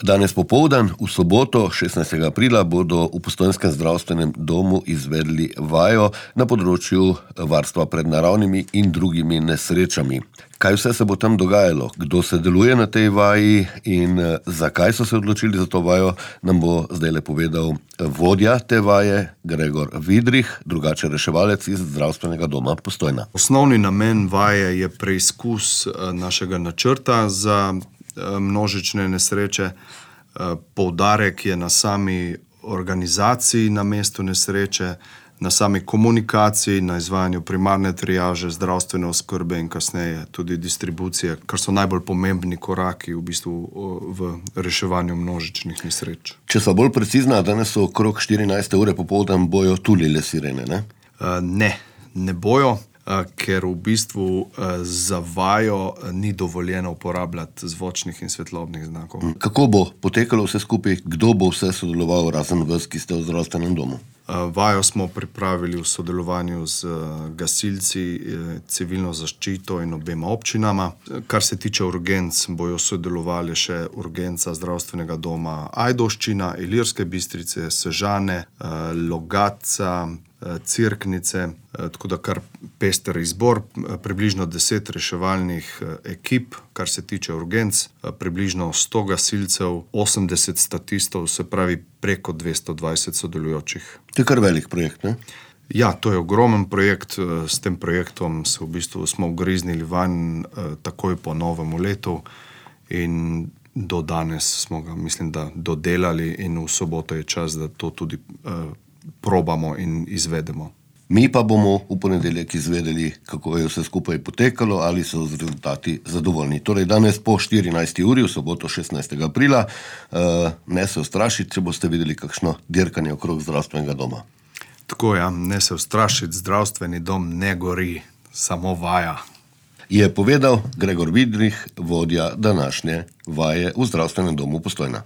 Danes popoldan, v soboto, 16. aprila, bodo v Postojnskem zdravstvenem domu izvedli vajo na področju varstva pred naravnimi in drugimi nesrečami. Kaj vse se bo tam dogajalo, kdo se deluje na tej vaji in zakaj so se odločili za to vajo, nam bo zdajle povedal vodja te vaje, Gregor Vidrih, drugače reševalec iz Zdravstvenega doma Postojna. Osnovni namen vaje je preizkus našega načrta za množične nesreče. Poudarek je na sami organizaciji na mestu nesreče, na sami komunikaciji, na izvajanju primarne triaže, zdravstvene oskrbe in kasneje tudi distribucije, kar so najbolj pomembni koraki v bistvu v reševanju množičnih nesreč. Če so bolj precizna, danes so okrog 14. ure popoldan bojo tulile sirene, ne? Ne bojo, ker v bistvu za vajo ni dovoljeno uporabljati zvočnih in svetlobnih znakov. Kako bo potekalo vse skupaj, kdo bo vse sodeloval razen vas, ki ste v zdravstvenem domu? Vajo smo pripravili v sodelovanju z gasilci, civilno zaščito in obema občinama. Kar se tiče urgenc, bojo sodelovali še urgenca Zdravstvenega doma Ajdovščina, Ilirske Bistrice, Sežane, Logatca, Cerknice, tako da kar pester izbor, približno 10 reševalnih ekip, kar se tiče urgenc, približno 100 gasilcev, 80 statistov, se pravi preko 220 sodelujočih. To je kar velik projekt, ne? Ja, to je ogromen projekt. S tem projektom se v bistvu smo ugriznili vanj takoj po novem letu in do danes smo ga, mislim, da dodelali in v soboto je čas, da to tudi probamo in izvedemo. Mi pa bomo v ponedeljek izvedeli, kako je vse skupaj potekalo, ali so z rezultati zadovoljni. Torej danes po 14. uri, v soboto 16. aprila, ne se ustrašiti, če boste videli kakšno dirkanje okrog zdravstvenega doma. Tako ja, ne se ustrašiti, zdravstveni dom ne gori, samo vaja. Je povedal Gregor Vidrih, vodja današnje vaje v Zdravstvenem domu Postojna.